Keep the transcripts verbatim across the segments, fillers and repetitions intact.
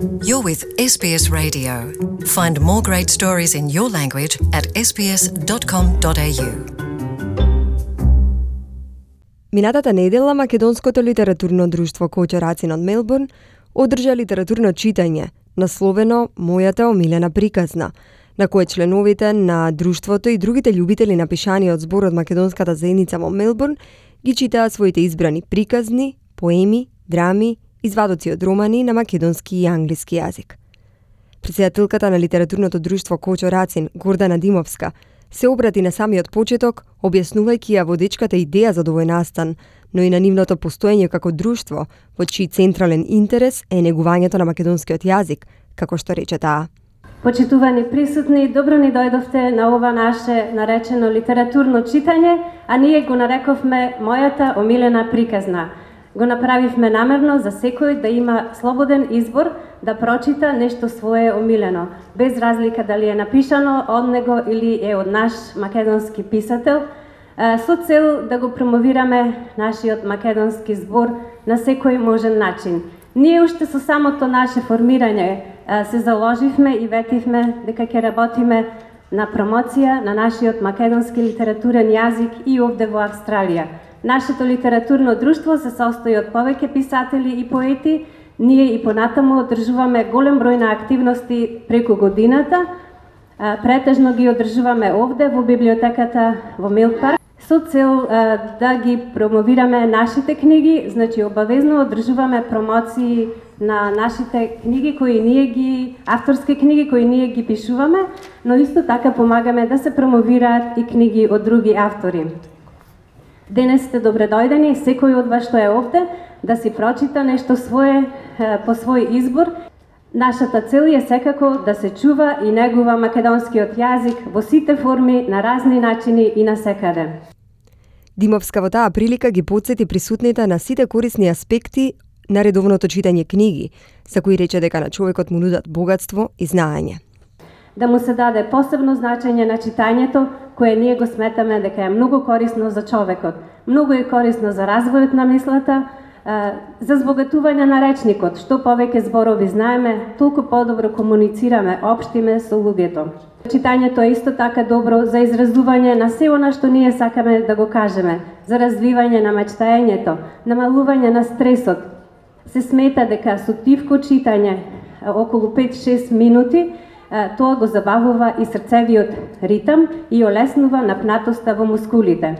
You're with S B S Radio. Find more great stories in your language at s b s dot com dot a u. Минатата недела Македонското литературно друштво Кочо Рацин од Мелбурн одржа литературно читање, насловено Мојата омилена приказна, на кое членовите на друштвото и другите љубители на пишани од зборот Македонската заедница во Мелбурн ги читаат своите избрани приказни, поеми, драми, извадоци од романи на македонски и англиски јазик. Председателката на литературното друштво Кочо Рацин, Гордана Димовска, се обрати на самиот почеток, објаснувајќи ја водечката идеја за овој настан, но и на нивното постоење како друштво, во чиј централен интерес е негувањето на македонскиот јазик, како што рече таа. Почитувани присутни, добро ни дојдовте на ова наше наречено литературно читање, а ние го нарековме Мојата омилена приказна. Го направивме намерно за секој да има слободен избор да прочита нешто свое омилено, без разлика дали е напишано од него или е од наш македонски писател, со цел да го промовираме нашиот македонски збор на секој можен начин. Ние уште со самото наше формирање се заложивме и ветивме дека ќе работиме на промоција на нашиот македонски литературен јазик и овде во Австралија. Нашето литературно друштво се состои од повеќе писатели и поети. Ние и понатаму одржуваме голем број на активности преку годината. Претежно ги одржуваме овде во библиотеката во Милпарк со цел да ги промовираме нашите книги, значи обавезно одржуваме промоции на нашите книги кои ние ги авторски книги кои ние ги пишуваме, но исто така помагаме да се промовираат и книги од други автори. Денес сте добредојдени, секој од вас што е овде, да си прочита нешто свое по свој избор. Нашата цел е секако да се чува и негува македонскиот јазик во сите форми, на разни начини и на секаде. Димовска во таа прилика ги потсети присутните на сите корисни аспекти на редовното читање книги, за кои рече дека на човекот му нудат богатство и знаење. Да му се даде посебно значење на читањето, кое ние го сметаме дека е многу корисно за човекот. Многу е корисно за развојот на мислата, за збогатување на речникот. Што повеќе зборови знаеме, толку подобро комуницираме, општиме со луѓето. Читањето е исто така добро за изразување на се она што ние сакаме да го кажеме, за развивање на мечтаењето, намалување на стресот. Се смета дека со тивко читање, околу пет-шест минути, тоа го забавува и срцевиот ритам и олеснува напнатоста во мускулите.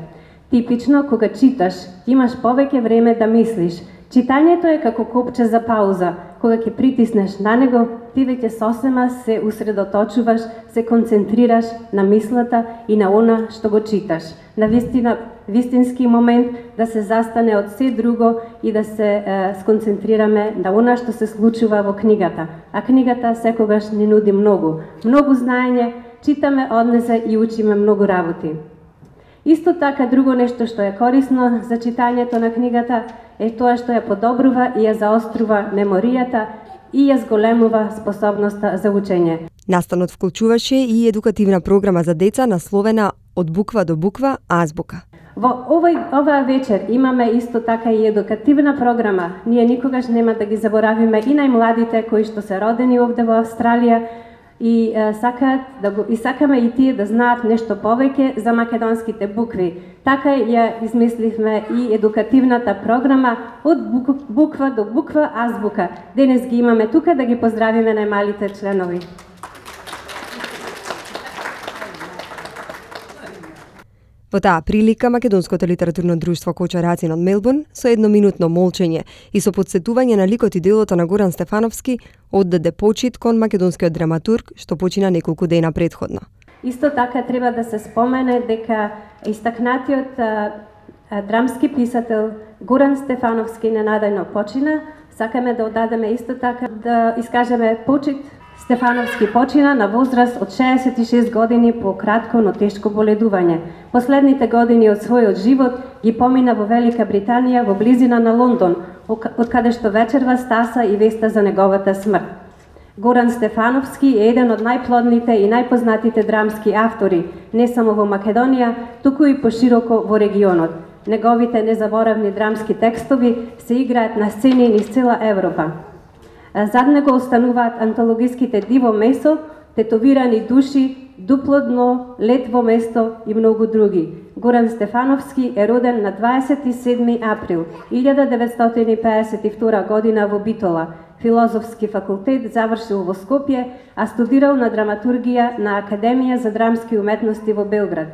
Типично, кога читаш, имаш повеќе време да мислиш. Читањето е како копче за пауза. Кога ќе притиснеш на него, ти веќе сосема се усредоточуваш, се концентрираш на мислата и на она што го читаш. На вистина, вистински момент да се застане од се друго и да се е, сконцентрираме на она што се случува во книгата. А книгата секогаш ни нуди многу. Многу знаење, читаме од неа и учиме многу работи. Исто така, друго нешто што е корисно за читањето на книгата е тоа што ја подобрува и ја заострува меморијата и ја зголемува способноста за учење. Настанот вклучуваше и едукативна програма за деца насловена Од буква до буква азбука. Во овој оваа вечер имаме исто така и едукативна програма. Ние никогаш нема да ги заборавиме и најмладите кои што се родени овде во Австралија и е, сакаат да го и сакаме и тие да знаат нешто повеќе за македонските букви. Така ја измисливме и едукативната програма Од буква до буква азбука. Денес ги имаме тука да ги поздравиме најмалите членови. Во таа прилика Македонското литературно друштво Кочо Рацин од Мелбурн со едноминутно молчење и со подсетување на ликот и делото на Горан Стефановски оддаде почит кон македонскиот драматург што почина неколку дена претходно. Исто така треба да се спомене дека истакнатиот а, а, драмски писател Горан Стефановски ненадајно почина. Сакаме да оддадеме исто така да искажеме почит. Стефановски почина на возраст од шеесет и шест години по кратко, но тешко боледување. Последните години од својот живот ги помина во Велика Британија, во близина на Лондон, од каде што вечерва стаса и веста за неговата смрт. Горан Стефановски е еден од најплодните и најпознатите драмски автори, не само во Македонија, туку и пошироко во регионот. Неговите незаборавни драмски текстови се играат на сцени низ цела Европа. Зад него остануваат антологиските Диво месо, Тетовирани души, Дупло дно, Летво место и многу други. Горан Стефановски е роден на дваесет и седми април илјада деветстотини пеесет и втора година во Битола. Филозофски факултет завршил во Скопје, а студирал на драматургија на Академија за драмски уметности во Белград.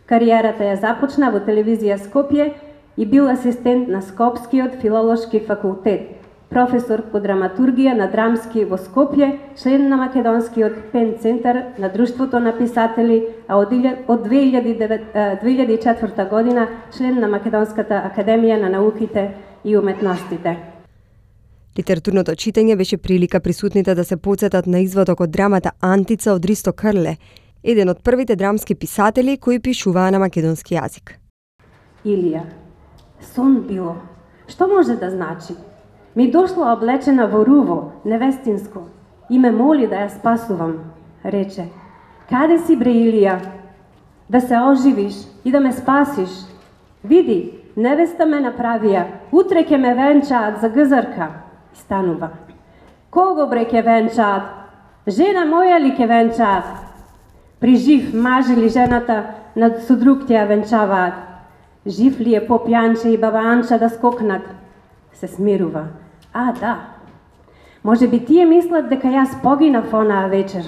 Кариерата ја започна во телевизија Скопје и бил асистент на Скопскиот филолошки факултет, професор по драматургија на драмски во Скопје, член на Македонскиот пен центар на Друштвото на писатели, а од две илјади и четврта година член на Македонската академија на науките и уметностите. Литературното читање беше прилика присутните да се потсетат на изводок од драмата Антица од Ристо Крле, еден од првите драмски писатели кои пишуваа на македонски јазик. Илија, сон било. Што може да значи? Ми дошла облечена во руво, невестинско, и ме моли да ја спасувам, рече. Каде си, бре Илија? Да се оживиш и да ме спасиш. Види, невеста ме направија, утре ќе ме венчаат за гзрка. И станува. Кого бре ќе венчаат? Жена моја ли ќе венчаат? При жив маж или жената над со друг ќе ја венчаваат? Жив ли е поп Јанче и баба Анча да скокнат? Се смирува. А, да. Може би тие мислат дека јас погинав онаа вечер.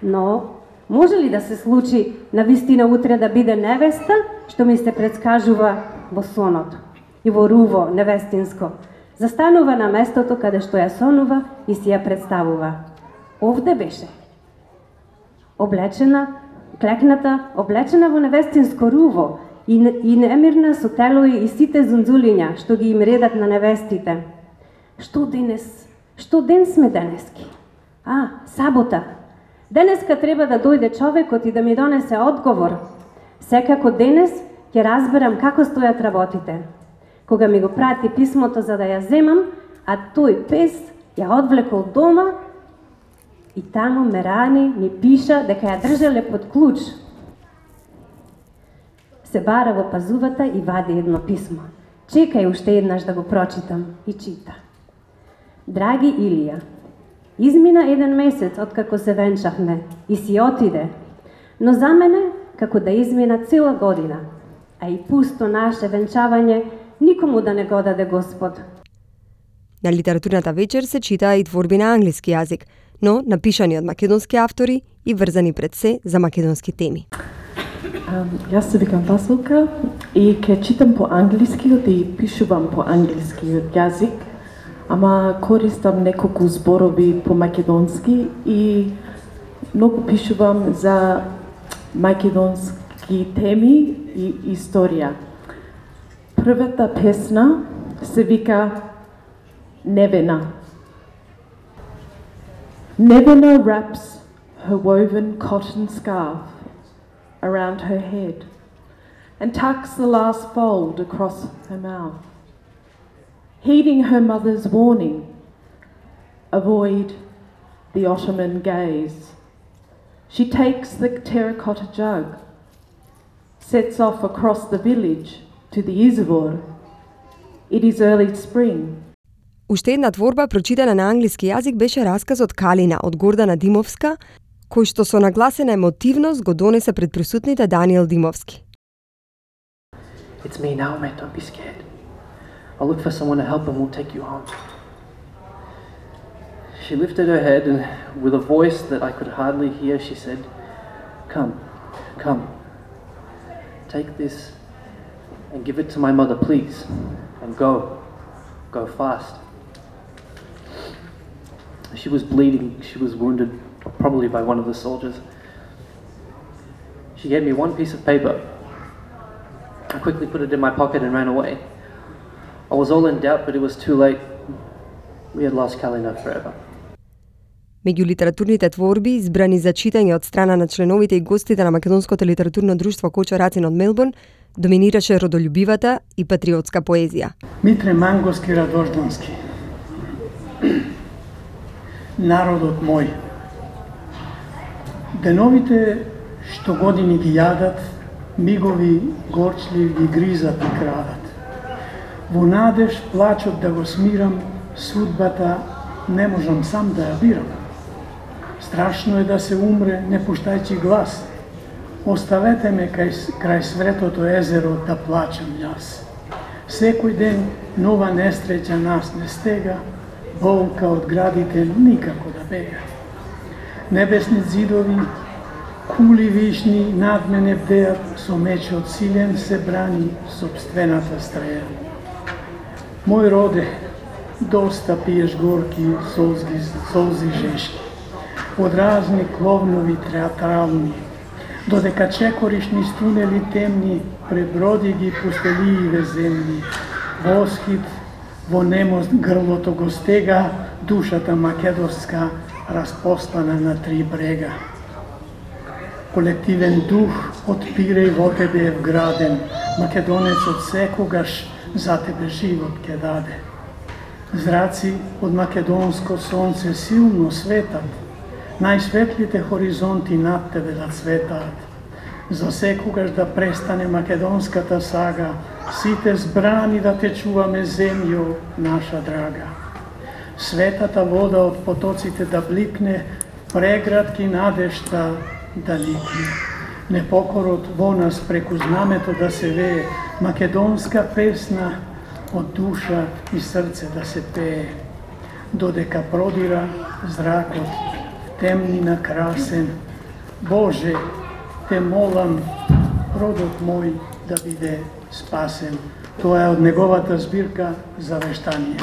Но, може ли да се случи навистина утре да биде невеста, што ми се предскажува во сонот? И во руво, невестинско. Застанува на местото каде што ја сонува и си ја представува. Овде беше. Облечена, клекната, облечена во невестинско руво и, и немирна со телои и сите зунзулиња што ги им редат на невестите. Што денес? Што ден сме денески? А, сабота. Денеска треба да дојде човекот и да ми донесе одговор. Секако денес ќе разберам како стојат работите. Кога ми го прати писмото за да ја земам, а тој пес ја одвлекол дома и таму ме рани, ми пиша дека ја држале под клуч. Се бара во пазувата и вади едно писмо. Чекај уште еднаш да го прочитам и чита. Драги Илија, измина еден месец откако се венчавме и си отиде, но за мене како да измина цела година, а и пусто наше венчавање никому да не го даде Господ. На литературната вечер се читаа и творби на англиски јазик, но напишани од македонски автори и врзани пред се за македонски теми. Um, јас се викам Василка и ќе читам по англискиот и пишувам по англискиот јазик, ама користам неколку зборови по македонски и многу пишувам за македонски теми и историја. Првата песна се вика Невена. Nevena wraps her woven cotton scarf around her head and tucks the last fold across her mouth. Heeding her mother's warning, avoid the Ottoman gaze. She takes the terracotta jug, sets off across the village to the Izvor. It is early spring. Уште една творба прочитана на англиски јазик беше расказот Калина од Гордана Димовска, кој што со нагласена емотивност го донесе пред присутните Даниел Димовски. It's me, Naomi, don't be scared. I'll look for someone to help and we'll take you home. She lifted her head and with a voice that I could hardly hear, she said, Come, come, take this and give it to my mother, please, and go, go fast. She was bleeding, she was wounded, probably by one of the soldiers. She gave me one piece of paper. I quickly put it in my pocket and ran away. I was all in doubt, but it was too late. We had lost Kalina forever. Меѓу литературните творби, избрани за читање од страна на членовите и гостите на Македонското литературно друштво Кочо Рацин од Мелбурн, доминираше родолюбивата и патриотска поезија. Митре Манговски Радождански. Народот мој. Деновите што години ги јадат, мигови горчлив ги гризат и крадат. Во надеж плачот да го смирам, судбата не можам сам да ја бирам. Страшно е да се умре не пуштајќи глас. Оставете ме кај, крај светото езеро да плачам јас. Секој ден нова несреќа нас не стега, болка од градите никако да бега. Небесни зидови, кули вишни над мене бдеат, со мечот силен се брани собствената стреја. Мој роде, доста пиеш горки солзи, солзи жешки, од разни кловнови театрални, додека чекоришни стунели темни, преброди ги пустеливе земни. Восхит во немост грлото го стега, душата македонска распослана на три брега. Колективен дух од пиреј во тебе е вграден, македонецот секогаш за тебе живот ке даде. Зраци од македонско сонце силно светат, најсветлите хоризонти над тебе да цветаат. За секогаш да престане македонската сага, сите збрани да те чуваме земјо наша драга. Светата вода од потоците да бликне, преградки надежта да ликне. Непокорот во нас преку знамето да се вее, македонска песна од душа и срце да се пее. Додека продира зракот, темнина красен, Боже, те молам, родот мој да биде спасен. Тоа е од неговата збирка Завештание.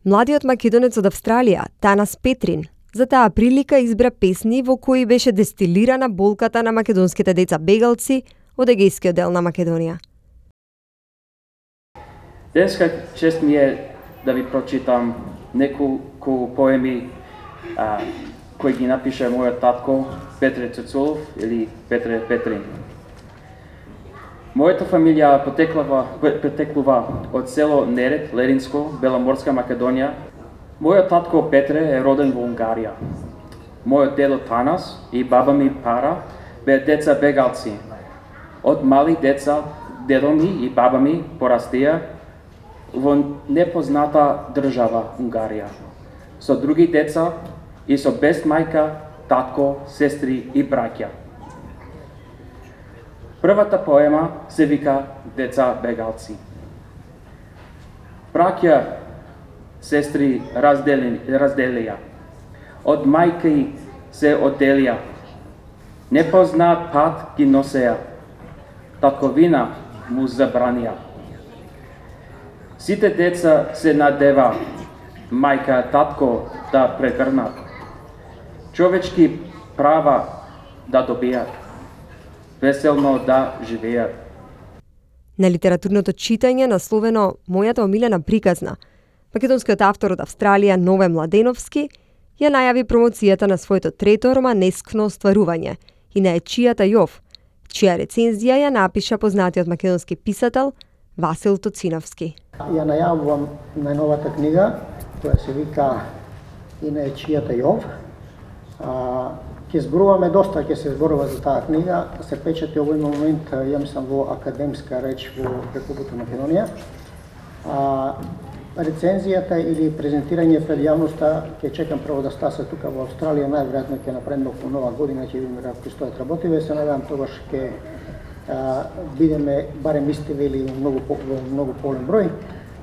Младиот македонец од Австралија, Танас Петрин, за таа прилика избра песни во кои беше дестилирана болката на македонските деца бегалци од егејскиот дел на Македонија. Денеска чест ми е да ви прочитам неколку поеми а, кои ги напише мојот татко Петре Цецулов или Петре Петрин. Мојата фамилија потеклува, потеклува од село Нерет, Леринско, Беломорска Македонија. Мојот татко Петре е роден во Унгарија. Мојот дедо Танас и баба ми Пара беа деца бегалци. Од мали деца дедо ми и баба ми порастија во непозната држава Унгарија, со други деца и со без мајка, татко, сестри и браќа. Првата поема се вика Деца бегалци. Браќа, сестри раздели, разделија, од мајки се одделија, непознаат пат ги носеја, татковина му забранија. Сите деца се надева, мајка, татко да прегрнат, човечки права да добијат, веселно да живеат. На литературното читање насловено Мојата омилена приказна, македонскиот автор од Австралија Нове Младеновски ја најави промоцијата на своето трето романескно остварување и на Ечијата Јов, чија рецензија ја напиша познатиот македонски писател Васил Тоциновски. Ја најавувам најновата книга, која се вика И на Ечијата Јов. Ќе зборуваме доста, ќе се зборува за таа книга, се печати овој момент, ја мислам, во академска реч во Република Македонија. А, рецензијата или презентирање пред јавноста ќе чекам прво да стаса тука во Австралија, најверојатно ќе направиме околу нова година, ќе видиме како стојат работиве, се надевам тогаш ќе бидеме барем истиви или многу во многу полен број.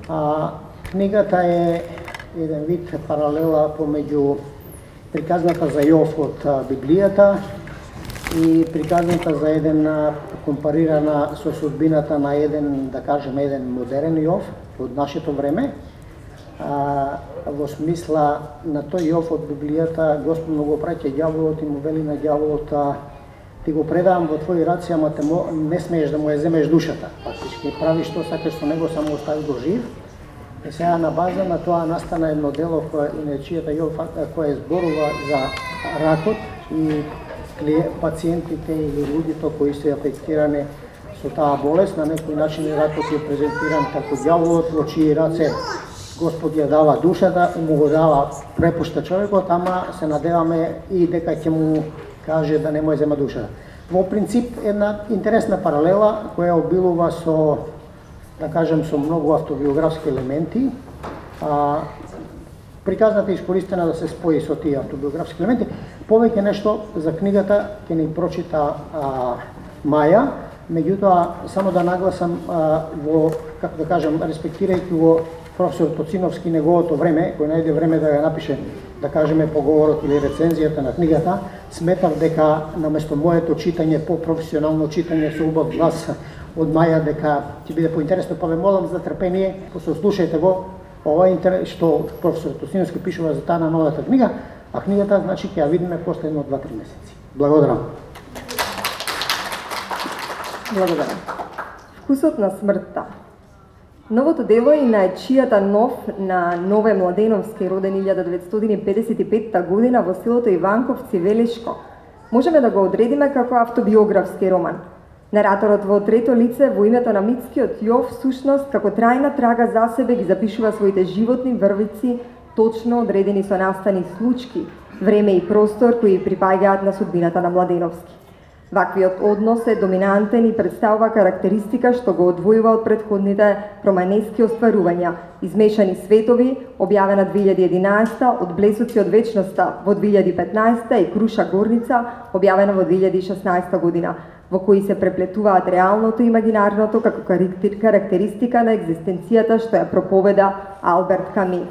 А, книгата е еден вид паралела помеѓу приказната за Јов од Библијата и приказната за еден компарирана со судбината на еден, да кажеме, еден модерен Јов од нашето време. А, во смисла на тој Јов од Библијата, Господ му го праќа ѓаволот и му вели на ѓаволот: ти го предавам во твои раце, ама те мо, не смееш да му ја земеш душата. Фактички прави што сакаш со него, само остави го жив. И сега на база на тоа настана едно дело која и на Ечијата Јов, која зборува за ракот и пациентите или луѓето кои се афектирани со таа болест. На некој начин ракот е презентиран како ѓаволот во чии раце Господ ја дава душата и му го дава, препушта човекот, ама се надеваме и дека ќе му каже да не му ја зема душата. Во принцип, една интересна паралела која обилува со, да кажем, со многу автобиографски елементи. А, приказната е искористена да се спои со тие автобиографски елементи. Повеќе нешто за книгата ќе ни прочита а, Маја, меѓутоа само да нагласам а, во, како да кажем, респектирајќи во професор Тоциновски неговото време, кој најде време да ја напише, да кажеме, поговорот или рецензијата на книгата, сметав дека наместо моето читање, по-професионално читање со убав глас од Маја, дека ќе биде поинтересно, па ве молам за трпение, послушајте го, ова интерес што професор Тоциновски пишува за таа на новата книга, а книгата, значи, ќе ја видиме после едно два-три месеци. Благодарам. Благодарам. Вкусот на смртта. Новото дело е на ечијата нов на Нове Младеновски, роден илјада деветстотини педесет и петта година во селото Иванковци, Велешко. Можеме да го одредиме како автобиографски роман. Нараторот во трето лице во името на митскиот Јов всушност како трајна трага за себе ги запишува своите животни врвици, точно одредени со настани случки, време и простор кои припаѓаат на судбината на Младеновски. Ваквиот однос е доминантен и представува карактеристика што го одвојува од претходните романески остварувања, Измешани светови, објавена две илјади и единаесета, Од блесоци од вечноста во две илјади и петнаесета и Круша горница, објавена во две илјади и шеснаесета година, во кои се преплетуваат реалното и имагинарното како карактеристика на екзистенцијата што ја проповеда Алберт Ками.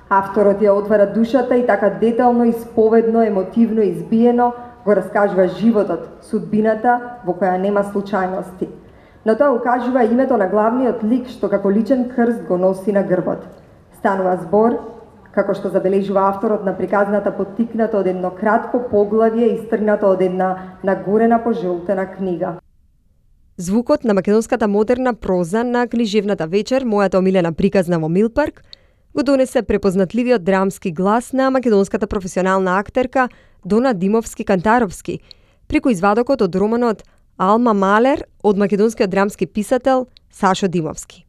Авторот ја отвара душата и така детално, исповедно, емотивно избиено го раскажува животот, судбината во која нема случајности. Но тоа укажува името на главниот лик што како личен крст го носи на грбот. Станува збор, како што забележува авторот на приказната поттикнато од едно кратко поглавје истргнато од една нагорена пожолтена книга. Звукот на македонската модерна проза на книжевната вечер, мојата омилена приказна во Милпарк, го донесе препознатливиот драмски глас на македонската професионална актерка Дона Димовски-Кантаровски, преку извадокот од романот Алма Малер од македонскиот драмски писател Сашо Димовски.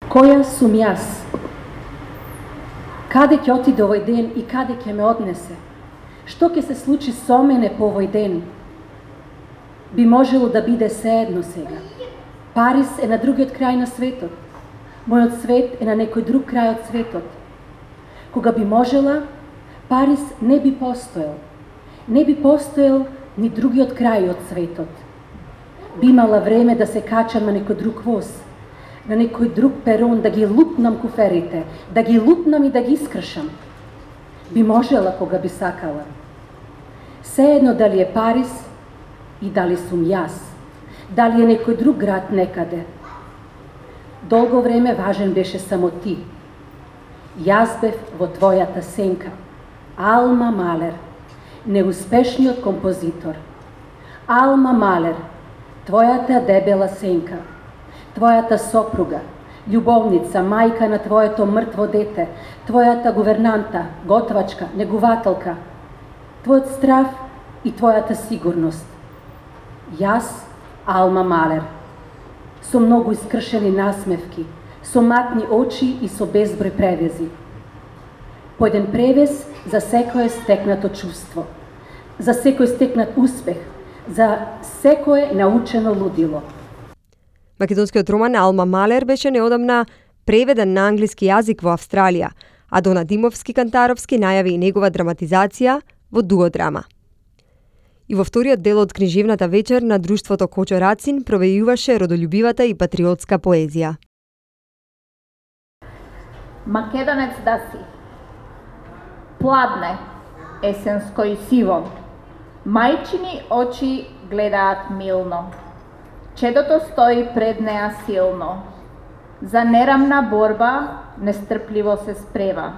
Која сум јас? Каде ќе отиде овој ден и каде ќе ме однесе? Што ќе се случи со мене по овој ден? Би можело да биде сеедно сега. Париз е на другиот крај на светот. Мојот свет е на некој друг крај од светот. Кога би можела, Париз не би постоел. Не би постоел ни другиот крај од светот. Би имала време да се качам на некој друг воз, на некој друг перон, да ги лупнам куферите, да ги лупнам и да ги искршам. Би можела кога би сакала. Сеедно дали е Париз и дали сум јас, дали е некој друг град некаде. Долго време важен беше само ти. Јас бев во твојата сенка. Алма Малер, неуспешниот композитор. Алма Малер, твојата дебела сенка, твојата сопруга, љубовница, мајка на твоето мртво дете, твојата гувернанта, готвачка, негувателка, твојот страв и твојата сигурност. Јас, Алма Малер, со многу искршени насмевки, со матни очи и со безброј превези. По еден превез за секое стекнато чувство, за секој стекнат успех, за секое научено лудило. Македонскиот роман Алма Малер беше неодамна преведен на англиски јазик во Австралија, а Дона Димовски-Кантаровски најави и негова драматизација во дуодрама. И во вториот дел од книжевната вечер на друштвото Кочо Рацин провејуваше родолюбивата и патриотска поезија. Македонец да си. Пладне, есенско и сиво. Мајчини очи гледаат милно. Чедото стои пред неа силно. За нерамна борба нестрпливо се спрева.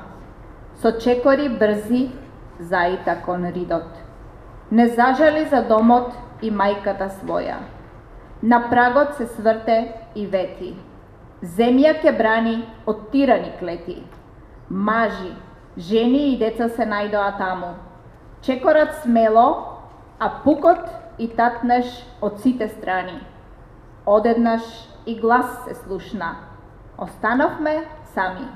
Со чекори брзи заита кон ридот. Не зажали за домот и мајката своја. На прагот се сврте и вети. Земја ќе брани од тирани клети. Мажи, жени и деца се најдоа таму. Чекорат смело, а пукот и татнеш од сите страни. Одеднаш и глас се слушна. Остановме сами.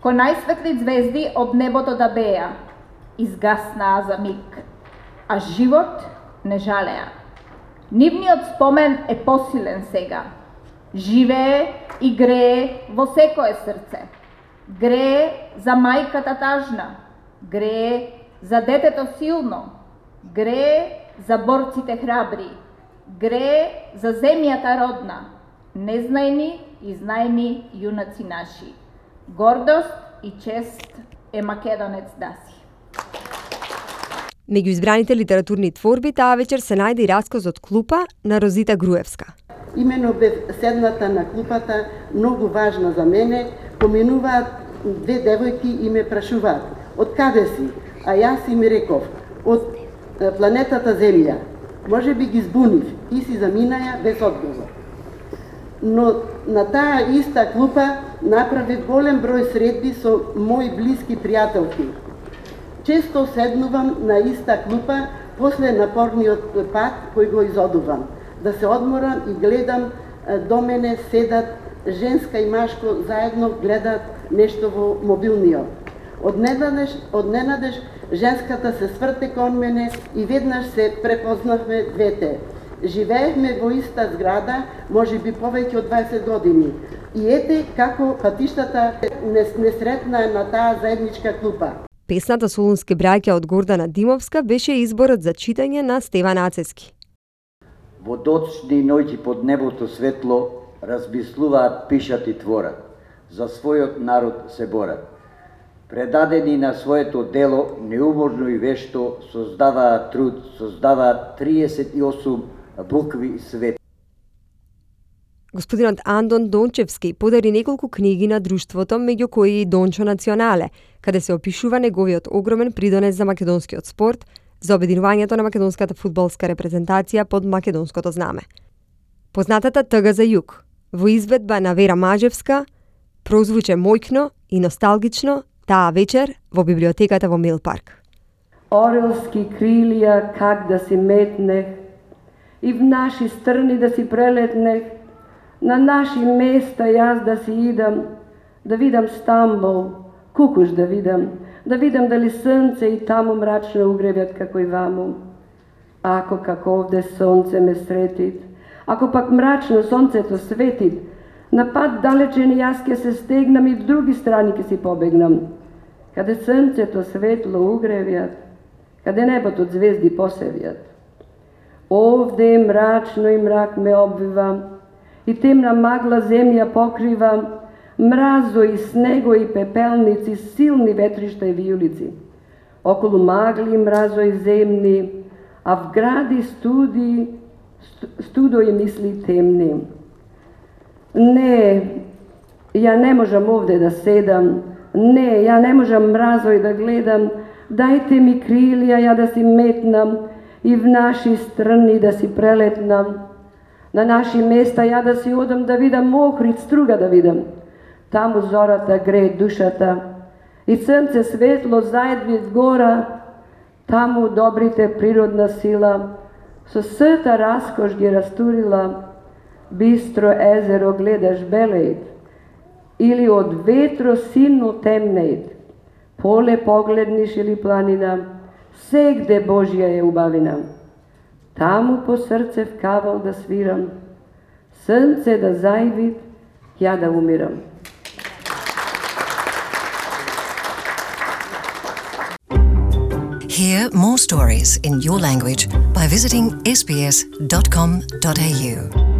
Ко најсветли звезди од небото да беа, изгаснаа за миг. а живот не жалеа. Нивниот спомен е посилен сега. Живее и грее во секое срце. Грее за мајката тажна, грее за детето силно, грее за борците храбри, грее за земјата родна, незнајни и знајни јунаци наши. Гордост и чест е македонец даси. Меѓу избраните литературни творби таа вечер се најде и раскозот Клупа на Розита Груевска. Имено бев седната на клупата, многу важна за мене, поминуваат две девојки и ме прашуваат: од каде си? А јас им реков: од планетата Земја. Може би ги збунив и си заминаја без одговор. Но на таа иста клупа направив голем број средби со мои блиски пријателки. Често седнувам на иста клупа после напорниот пат кој го изодувам, да се одморам и гледам до мене седат женска и машко заедно гледат нешто во мобилниот. Одненадеж, одненадеж женската се сврте кон мене и веднаш се препознавме двете. Живеевме во иста зграда, може би повеќе од дваесет години. И ете како патиштата не, не сретна на таа заедничка клупа. Песната Солунски браќа од Гордана Димовска беше изборот за читање на Стеван Ацески. Во доцни ноќи под небото светло размислуваат, пишат и творат. За својот народ се борат. Предадени на своето дело, неуможно и вешто, создаваат труд, создаваат триесет и осум букви свет. Господинот Андон Дончевски подари неколку книги на друштвото, меѓу кои и Дончо Национале, каде се опишува неговиот огромен придонес за македонскиот спорт, за обединувањето на македонската фудбалска репрезентација под македонското знаме. Познатата Тъга за југ, во изведба на Вера Мажевска, прозвуче мојкно и носталгично таа вечер во библиотеката во Милпарк. Орелски крилија как да си метнех и в наши страни да си прелетнех, на наши места јас да си идам, да видам Стамбул, Кукуш да видам, да видам дали сонце и таму мрачно угревјат како и ваму. Ако како овде сонце ме сретит, ако пак мрачно сонцето светит, на пат далечен јас ке се стегнам и в други страни ке си побегнам. Каде сонцето светло угревјат, каде небото звезди посевјат. Овде мрачно и мрак ме обвива, и темна магла земја покрива, мразо и снего и пепелници, силни ветришта и вијулици. Околу магли, мразо и земни, а в гради студи, студо и мисли темни. Не, ја не можам овде да седам, не, ја не можам мразо и да гледам, дајте ми крилија ја да си метнам и в наши страни да си прелетнам. На наши места ја да си одам да видам Охрид, Струга да видам. Таму зората грее душата и сонце светло заедви гора, таму добрите природна сила со сета раскош ги растурила, бистро езеро гледаш белејт или од ветро силно темнејт, поле погледниш или планина, сегде Божја е убавина. Таму по срце в кавал да свирам, сонце да зајвит, ја да умирам. Hear more stories in your language by visiting s b s dot com dot a u.